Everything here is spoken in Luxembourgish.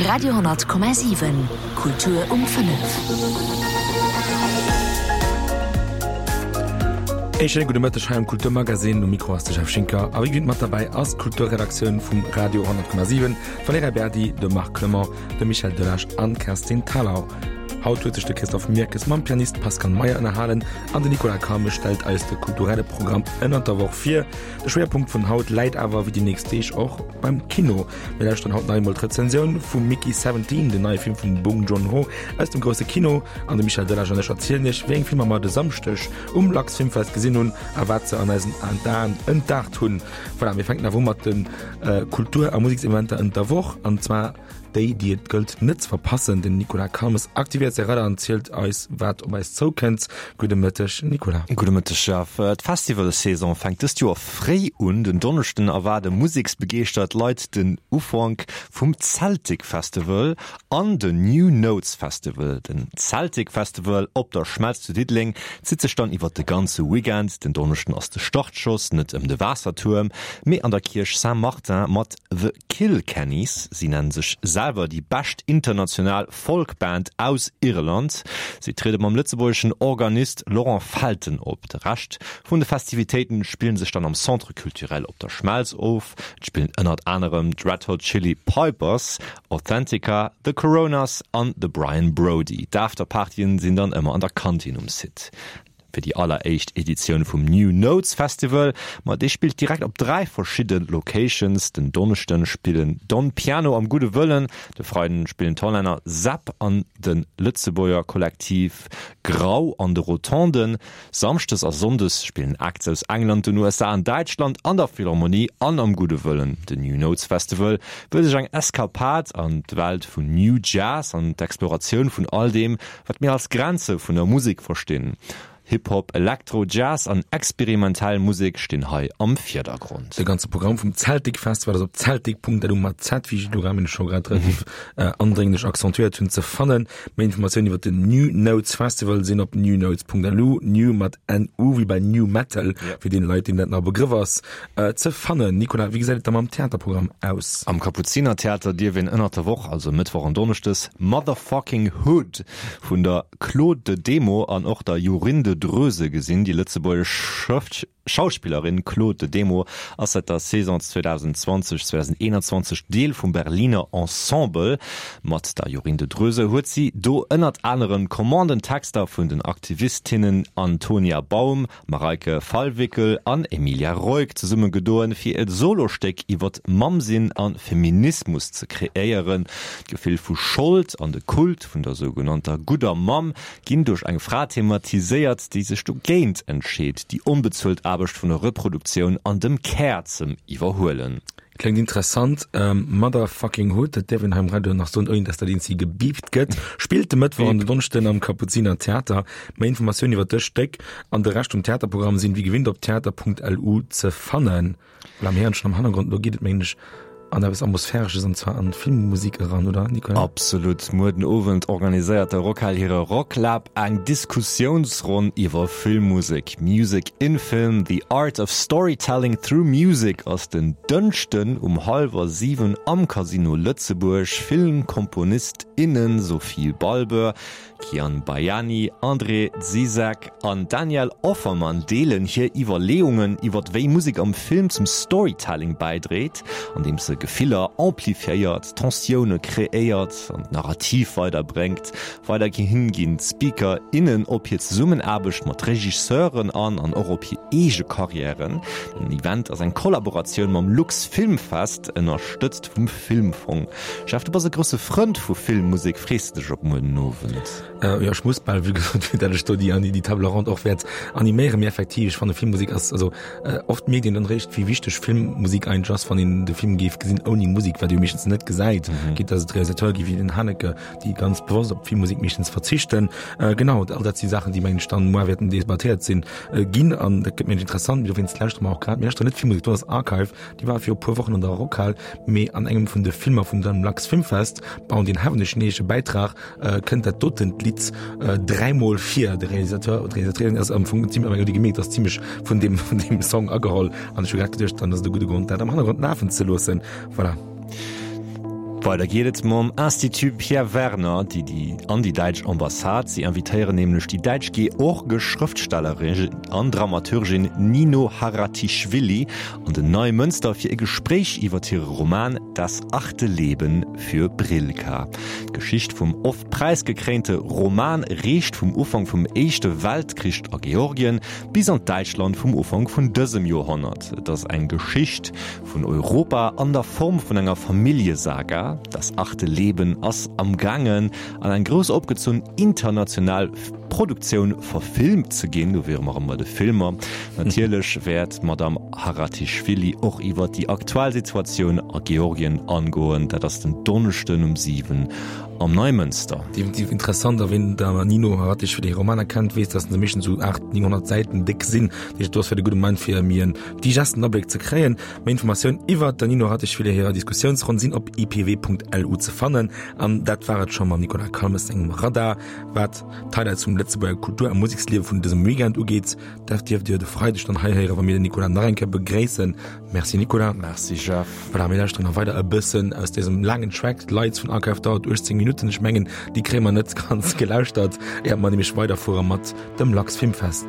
Radio,7 Kultur um 5. Ee schéine gudde Mëtteg hei am Kulturmagazin. Um Mikro ass de Jeff Schinker a wéi gewinnt mat derbäi ass d'Kulturredaktioun vum Radio 10,7, d'Valerija Berdi, de Marc Clement, de Michel Delage an d'Kerstin Thalau. Haut huet sech de Christophe Mirkes mam Pianist Pascal Meyer ënnerhalen an de Nicolas Carme stellt eis de kulturelle Programm ënnert der Woch vir. De Schwéierpunkt vun haut läit awer, wéi déi nächst Deeg och, beim Kino. Mir lauschteren haut nach eemol d'Rezensioun vum Mickey 17, den neie Film vum Bong Joon-ho aus dem grousse Kino. An de Michel Delage an ech erzielen iech, wéi eng Filmer mer de Samschdeg um Lux Filmfest gesinn hunn a wat se an eisen Aen entdaacht hunn. Voilà, mir fänken awer u mat de Kultur a Musekseventer ënnert der Woch, an zwar déi, déi et gëllt net ze verpassen. Den Nicolas Calmes aktivéiert säi Radar an zielt eis, wat op eis zoukënnt. Gudde Mëtteg, Nicolas. Gudde Mëtteg, Jeff. D'Festivalsaison fänkt dëst Joer fréi un. Den Donneschden erwaarde museksbegeeschtert Leit den Ufank vum Celtic Festival an den New Notes Festival. Den Celtic Festival op der Schmelz zu Diddeleng zitt sech dann iwwert de ganze Weekend. Den Donneschden ass de Startschoss, net ëm de Waassertuerm, mee an der Kierch Saint-Martin mat The Kilkennys. Si nennen sech selwer déi bescht international Folkband aus Irland. Si triede mam lëtzebuergeschen Organist Laurent Felten op. De Rescht vun de Festivitéiten spillen sech dann am Centre Culturel op der Schmelz of. Et spillen ënnert anerem d'Red Hot Chili Pipers, Authentica, The Coronas an de Brian Brody. D'Afterpartyen sinn dann ëmmer an der Kantin um Site. Fir déi alleréischt Editioun vum New Notes Festival, ma dee spillt direkt op 3 verschidde Locations. Den Donneschden spillen Don Piano am Gudde Wëllen, de Freiden spillen d'Hollänner Zapp an de Lëtzebuerger Kollektiv Grau an de Rotonden. Samschdes a Sonndes spillen Acts aus England, den USA an Däitschland an der Philharmonie an am Gudde Wëllen. Den New Notes Festival wëll sech eng Eskapad an d'Welt vun New Jazz an d'Exploratioun vun all deem, Wat mir als Grenze vun der Musek verstinn. Hip-Hop, Elektro, Jazz an experimentell Musek stinn hei am Virdergrond. De ganze Programm vum Zeltic Festival ass op zeltic.lu mat Z, wéi ech elo grad meng scho grad relativ andrénglech accentuéiert hunn, ze fannen. Méi Informatiounen iwwer den New Notes Festival sinn op newnotes.lu, new mat NU wéi bei New Metal, fir deene Leit, deenen dat nach e Begrëff ass, ze fannen. Nicolas, wéi gesäit et da mam Theaterprogramm aus? Am Kapuzinertheater dierf een ënnert der Woch, also Mëttwoch an Donneschdes, Motherfucking Hood vun der Claude de Demo an och der Jorinde Droese gesinn. Déi lëtzebuergesch Schauspillerin Claude de Demo ass säit der Saison 2020, 2021 Deel vum Berliner Ensemble. Mat der Jorinde Droese huet si do ënnert anerem d'Commandentexter vun den Aktivistinnen Antonia Baum, Mareike Fallwickel an Emilia Roig zesumme gedoen, fir e Solostéck iwwert Mammsinn a Feminismus ze kreéieren. D'Gefill vu Schold an de Kult vun der sougenannter gudder Mamm ginn duerch eng Fra thematiséiert, déi sech dogéint entscheet, déi onbezuelt Aarbecht vun der Reproduktioun an dem Care ze iwwerhuelen. Kléngt interessant. Motherfucking Hood, dat däerf een hei um Radio nach soen, ouni dass dat eenzi gebiipt gëtt, spillt de Mëttwoch an den Donneschden am Kapuziner Theater. Méi Informatiounen iwwer dëst Stéck an de Rescht vum Theaterprogramm sinn wéi gewinnt op theater.lu ze fannen. Voilà, mir héieren schonn am Hannergrond, elo geet et mengen ech an eppes Atmosphäresches, an zwar an d'Filmmusik eran, oder Nicolas? Absolut. Muer den Owend organiséiert de Rockhal hire Rocklab eng Diskussiounsronn iwwer Filmmusek. Music in Film, The Art of Storytelling Through Music ass den Dënschden um hallwer 7 am Casino Lëtzebuerg. Filmkomponist, innen Sophie Balbeur, Kian Bayani, André Zizek an Daniel Offermann deelen hir Iwwerleeungen iwwer wéi Musek am Film zum Storytelling bäidréit, andeems se Gefiller amplifiéiert, Tensioune kreéiert an d'Narrativ weiderbréngt. Weiderhin ginn d'Speaker, innen op hir Zesummenaarbecht mat Regisseuren an an och op hir eege Karriären. Den Event ass eng Kollaboratioun mam Luxfilmfest, ënnerstëtzt vum Filmfong. Jeff, du bass e grousse Frënd vu Filmmusek, frees de dech op muer den Owend? Jo, ech muss bal, vue gesot, vue dat ech do déi déi Table ronde och wäert animéieren. Mee effektiv, ech fanne Filmmusek ass, also oft mierkt een dann eréischt, wéi wichteg Filmmusek eigentlech ass, wann een de Film géif gesinn ouni Musek, wat ee jo meeschtens net gesäit, quitte dass et Realisateure gi wéi den Haneke, déi ganz bewosst op Filmmusek meeschtens verzichten. Genau, all dat si Saachen, déi mengen ech dann muer wäerten debattéiert sinn ginn an dat gëtt mengen ech interessant. Mee dowéinst lauschtere mer och grad, mir lauschteren net Filmmusek, do ass Archive, déi war viru puer Wochen an der Rockhal, mee an engem vun de Filmer vun dem Lux Filmfest, bauen deen hoffentlech neege Bäitrag, kënnt dat dotent Lidd dräimol vir. De Realisateur oder d'Realisatrice ass am Fong zimmlech, huet ee gemierkt, ass zimmlech vun deem vun deem Song ageholl an ech hu grad geduecht, dann ass et e gudde Grond dat am Hannergrond lafen ze loossen. Voilà. Weider geet et mam Institut Pierre Werner, déi déi an déi däitsch Ambassade. Si invitéieren nämlech déi däitsch-georgesch Schrëftstellerin an Dramaturgin Nino Haratischwili an den Neimënster fir e Gespréich iwwer hire Roman Das achte Leben für Brilka. D'Geschicht vum oft präisgekréinte Roman reecht vum Ufank vum Éischte Weltkrich a Georgien bis an d'Däitschland vum Ufank vun dësem Joerhonnert. Et ass eng Geschicht Vun Europa an der Form vun enger Familljesaga, Das achte Leben ass amgaangen an eng grouss opgezunn international Produktioun verfilmt ze ginn. Do wiere mer erëm bei de Filmer. Natierlech wäert d'Madame Haratischvili och iwwer déi aktuell Situatioun a Georgien angoen. Dat ass den Donneschden um 7 am Neimënster. Definitiv interessant, a ween der Nino Haratischvili hir Romaner kennt, weess, dass se meeschtens esou 800, 900 Säiten déck sinn. Dat heescht, do ass vläicht e gudde Moment fir méi en digesten Abléck ze kréien. Méi Informatioun iwwert der Nino Haratischvili hirer Diskussiounsronn sinn op ipw.lu ze fannen. An dat war et scho mam Nicolas Calmes sengem Radar. Wat d'Highlights vum Lëtzebuerger Kultur a Museksliewe vun dësem Weekend ugeet, dat dierft Dir de Freideg dann hei héieren, wa mir den Nicolas nach eng Kéier begréissen. Merci Nicolas. Merci Jeff. Voilà, mir lauschteren nach weider e bëssen aus dësem laangen Track. D'Lights vun Archive dauert 18 Minutten. Ech mengen, déi kréie mer net ganz gelauschtert, éier mer nämlech weiderfuere mat dem Lux Filmfest.